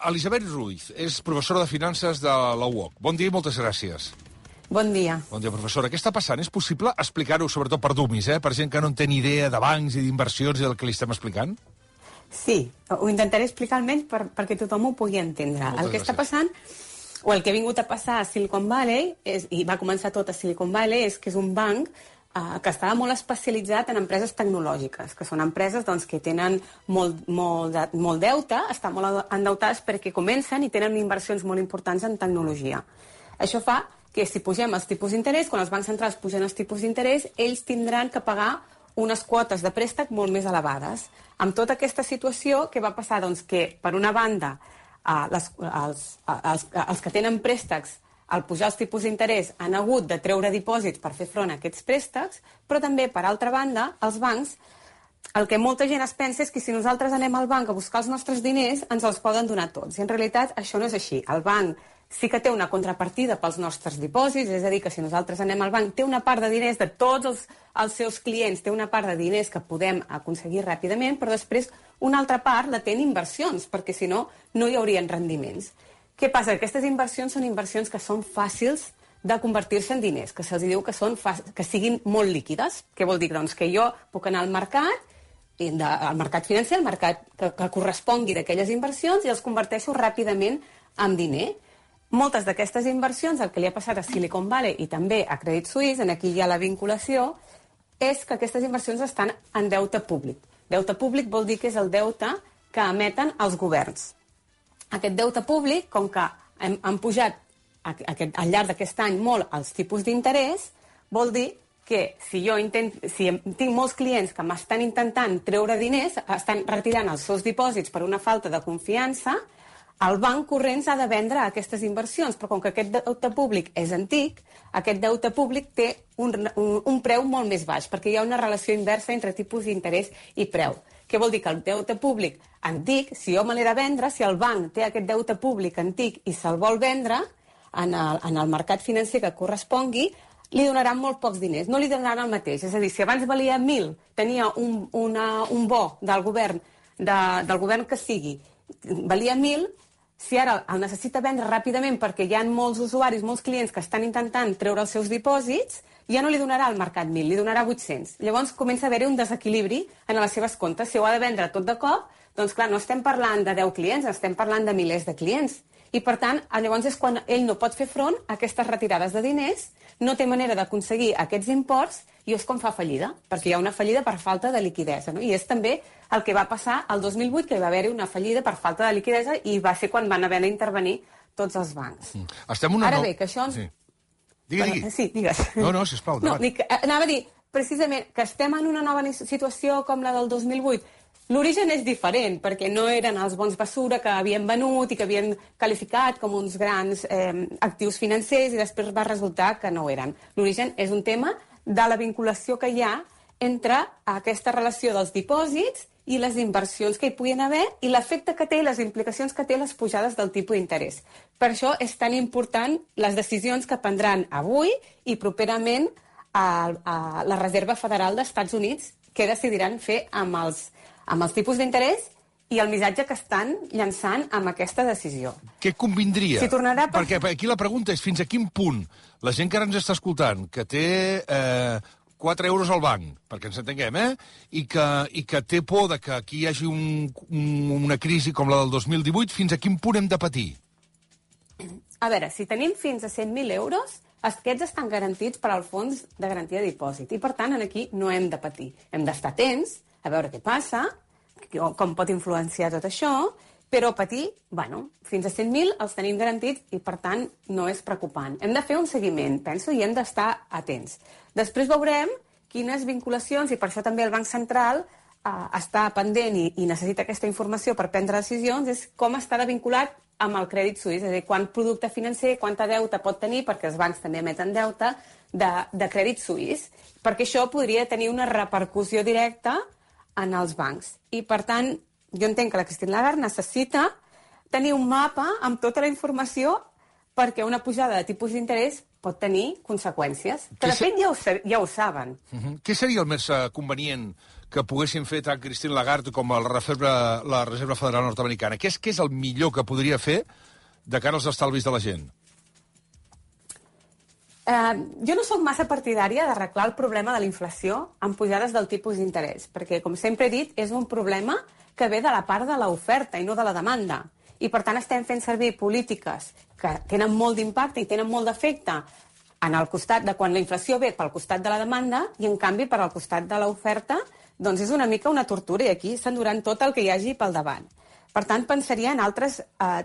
Elisabet Ruiz és professora de finances de la UOC. Bon dia i moltes gràcies. Bon dia. Bon dia, professora. Què està passant? És possible explicar-ho, sobretot per dummies, per gent que no en té ni idea de bancs i d'inversions i del que li estem explicant? Sí, ho intentaré explicar almenys perquè tothom ho pugui entendre. El que està passant, o el que ha vingut a passar a Silicon Valley, i va començar tot a Silicon Valley, és que és un banc que estava molt especialitzat en empreses tecnològiques, que són empreses que tenen molt deute, estan molt endeutades perquè comencen i tenen inversions molt importants en tecnologia. Això fa que si pugem els tipus d'interès, quan els bancs centrals pugen els tipus d'interès, ells tindran que pagar unes quotes de préstec molt més elevades. Amb tota aquesta situació, què va passar? Doncs que, per una banda, els que tenen préstecs, al pujar els tipus d'interès, han hagut de treure dipòsits per fer front a aquests préstecs, però també, per altra banda, els bancs, el que molta gent es pensa és que si nosaltres anem al banc a buscar els nostres diners, ens els poden donar tots. I en realitat això no és així. El banc sí que té una contrapartida pels nostres dipòsits, és a dir, que si nosaltres anem al banc, té una part de diners de tots els seus clients, té una part de diners que podem aconseguir ràpidament, però després una altra part la té en inversions, perquè si no, no hi haurien rendiments. Què passa? Aquestes inversions són inversions que són fàcils de convertir-se en diners, que se'ls diu que siguin molt líquides. Què vol dir? Doncs que jo puc anar al mercat financer, al mercat que correspongui d'aquelles inversions, i els converteixo ràpidament en diner. Moltes d'aquestes inversions, el que li ha passat a Silicon Valley i també a Credit Suisse, aquí hi ha la vinculació, és que aquestes inversions estan en deute públic. Deute públic vol dir que és el deute que emeten els governs. Aquest deute públic, com que han pujat al llarg d'aquest any molt els tipus d'interès, vol dir que si tinc molts clients que m'estan intentant treure diners, estan retirant els seus dipòsits per una falta de confiança, el banc corrents ha de vendre aquestes inversions, però com que aquest deute públic és antic, aquest deute públic té un preu molt més baix, perquè hi ha una relació inversa entre tipus d'interès i preu. Què vol dir? Que el deute públic antic, si jo me l'he de vendre, si el banc té aquest deute públic antic i se'l vol vendre en el mercat financer que correspongui, li donaran molt pocs diners, no li donaran el mateix. És a dir, si abans valia 1.000, tenia un bo del govern que sigui, valia 1.000, si ara el necessita vendre ràpidament perquè hi ha molts usuaris, molts clients que estan intentant treure els seus dipòsits, ja no li donarà al mercat 1.000, li donarà 800. Llavors comença a haver-hi un desequilibri en les seves comptes. Si ho ha de vendre tot de cop, doncs clar, no estem parlant de 10 clients, estem parlant de milers de clients. I per tant, llavors és quan ell no pot fer front a aquestes retirades de diners, no té manera d'aconseguir aquests imports i és com fa fallida, perquè hi ha una fallida per falta de liquiditat. No? I és també el que va passar el 2008, que hi va haver-hi una fallida per falta de liquiditat i va ser quan van haver d'intervenir tots els bancs. Ara bé, que això... Sí. Digui. Sí, digues. No, sisplau, endavant. Anava a dir, precisament, que estem en una nova situació com la del 2008. L'origen és diferent, perquè no eren els bons basura que havien venut i que havien qualificat com uns grans actius financers i després va resultar que no ho eren. L'origen és un tema de la vinculació que hi ha entre aquesta relació dels dipòsits i les inversions que hi puguin haver i l'efecte que té i les implicacions que té les pujades del tipus d'interès. Per això és tan important les decisions que prendran avui i properament a la Reserva Federal dels Estats Units, què decidiran fer amb els tipus d'interès i el missatge que estan llançant amb aquesta decisió. Què convindria? Perquè aquí la pregunta és fins a quin punt la gent que ara ens està escoltant, que té 4 euros al banc, perquè ens entenguem, i que té por de que aquí hi hagi una crisi com la del 2018, fins a quin punt hem de patir? A veure, si tenim fins a 100.000 euros, aquests estan garantits per al fons de garantia de dipòsit. I, per tant, aquí no hem de patir. Hem d'estar atents, a veure què passa, com pot influenciar tot això, però patir, fins a 100.000 els tenim garantits i, per tant, no és preocupant. Hem de fer un seguiment, penso, i hem d'estar atents. Després veurem quines vinculacions, i per això també el Banc Central està pendent i necessita aquesta informació per prendre decisions, és com està vinculat amb el Credit Suisse, és a dir, quant producte financer, quanta deute pot tenir, perquè els bancs també emeten deute, de Credit Suisse, perquè això podria tenir una repercussió directa en els bancs. I, per tant, jo entenc que la Christine Lagarde necessita tenir un mapa amb tota la informació perquè una pujada de tipus d'interès pot tenir conseqüències. Que, de fet, ja ho saben. Què seria el més convenient que poguessin fer tant Christine Lagarde com la Reserva Federal Nord-Americana? Què és el millor que podria fer de cara als estalvis de la gent? Jo no sóc massa partidària d'arreglar el problema de la inflació amb pujades del tipus d'interès, perquè, com sempre he dit, és un problema que ve de la part de l'oferta i no de la demanda. I, per tant, estem fent servir polítiques que tenen molt d'impacte i tenen molt d'efecte en el costat de quan la inflació ve pel costat de la demanda i, en canvi, per al costat de l'oferta, doncs és una mica una tortura i aquí s'enduran tot el que hi hagi pel davant. Per tant, pensaria en altres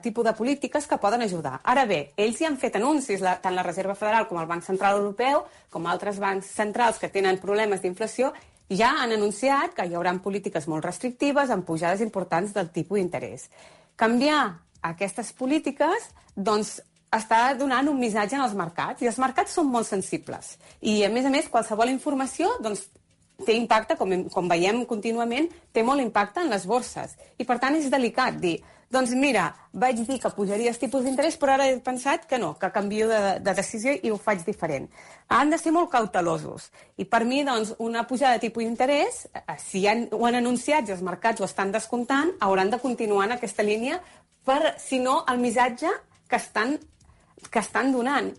tipus de polítiques que poden ajudar. Ara bé, ells hi han fet anuncis, tant la Reserva Federal com el Banc Central Europeu, com altres bancs centrals que tenen problemes d'inflació, ja han anunciat que hi haurà polítiques molt restrictives amb pujades importants del tipus d'interès. Canviar aquestes polítiques, doncs, està donant un missatge als mercats, i els mercats són molt sensibles. I, a més, qualsevol informació, doncs, té impacte, com veiem contínuament, té molt impacte en les borses. I, per tant, és delicat dir, doncs mira, vaig dir que pujaria els tipus d'interès, però ara he pensat que no, que canvio de decisió i ho faig diferent. Han de ser molt cautelosos. I per mi, doncs, una pujada de tipus d'interès, si ho han anunciat i els mercats ho estan descomptant, hauran de continuar en aquesta línia per, si no, el missatge que estan donant.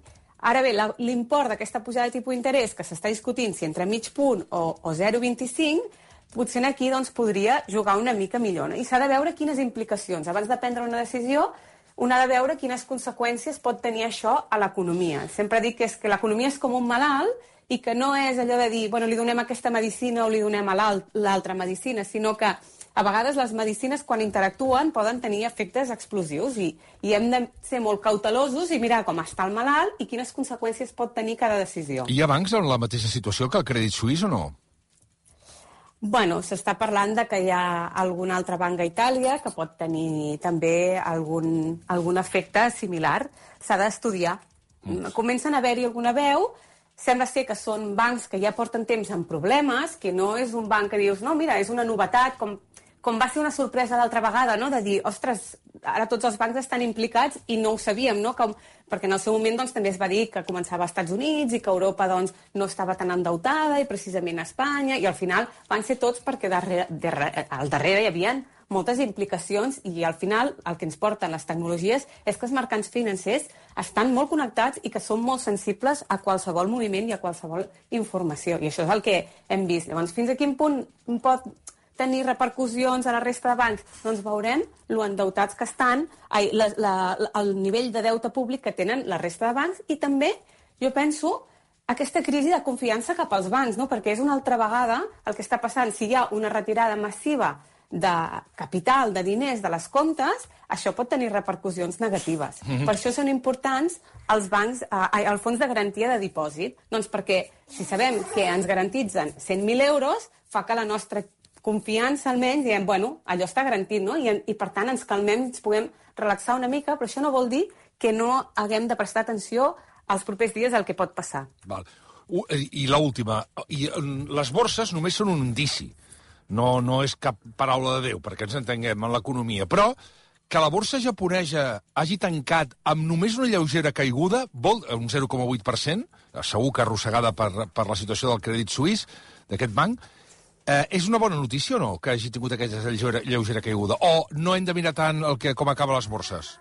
Ara bé, l'import d'aquesta pujada de tipus d'interès que s'està discutint, si entre mig punt o 0,25, potser aquí doncs, podria jugar una mica millor. I s'ha de veure quines implicacions. Abans de prendre una decisió, un ha de veure quines conseqüències pot tenir això a l'economia. Sempre dic que l'economia és com un malalt i que no és allò de dir, bueno, li donem aquesta medicina o li donem a l'altra medicina, sinó que a vegades les medicines, quan interactuen, poden tenir efectes explosius i hem de ser molt cautelosos i mirar com està el malalt i quines conseqüències pot tenir cada decisió. Hi ha bancs en la mateixa situació que el Crèdit Suisse o no? Bueno, s'està parlant de que hi ha algun altre banc a Itàlia que pot tenir també algun efecte similar. S'ha d'estudiar. Comencen a haver-hi alguna veu. Sembla ser que són bancs que ja porten temps amb problemes, que no és un banc que dius, no, mira, és una novetat, com va ser una sorpresa l'altra vegada, no? De dir, ostres, ara tots els bancs estan implicats i no ho sabíem, no? Perquè en el seu moment doncs, també es va dir que començava als Estats Units i que Europa doncs, no estava tan endeutada i precisament a Espanya, i al final van ser tots perquè al darrere hi havia moltes implicacions i al final el que ens porten les tecnologies és que els mercats financers estan molt connectats i que són molt sensibles a qualsevol moviment i a qualsevol informació. I això és el que hem vist. Llavors, fins a quin punt pot tenir repercussions a la resta de bancs? Doncs veurem lo endeutats que estan, el nivell de deute públic que tenen la resta de bancs i també, jo penso, aquesta crisi de confiança cap als bancs, no? Perquè és una altra vegada el que està passant. Si hi ha una retirada massiva de capital, de diners de les comptes, això pot tenir repercussions negatives. Per això són importants els bancs, el fons de garantia de dipòsit, doncs perquè si sabem que ens garantitzen 100.000 euros, fa que la nostra confiança almenys, diem, bueno, allò està garantit, no? I per tant ens calmem, ens puguem relaxar una mica, però això no vol dir que no haguem de prestar atenció als propers dies al que pot passar. Val. I l'última, les borses només són un indici, no és cap paraula de Déu, perquè ens entenguem en l'economia, però que la borsa japonesa hagi tancat amb només una lleugera caiguda, un 0,8%, segur que arrossegada per la situació del Crèdit Suisse, d'aquest banc, és una bona notícia o no, que hagi tingut aquesta lleugera caiguda? O no hem de mirar tant com acaben les borses?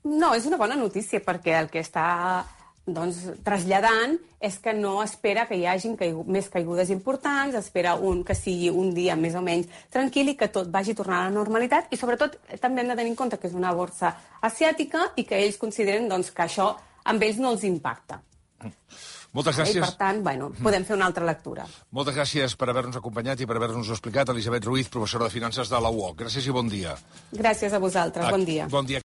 No, és una bona notícia, perquè el que està traslladant és que no espera que hi hagin més caigudes importants, espera que sigui un dia més o menys tranquil i que tot vagi tornant a la normalitat, i sobretot també hem de tenir en compte que és una borsa asiàtica i que ells consideren que això amb ells no els impacta. Moltes gràcies. I, per tant, podem fer una altra lectura. Moltes gràcies per haver-nos acompanyat i per haver-nos explicat. Elisabet Ruiz, professora de Finances de la UOC. Gràcies i bon dia. Gràcies a vosaltres. Bon dia. Bon dia.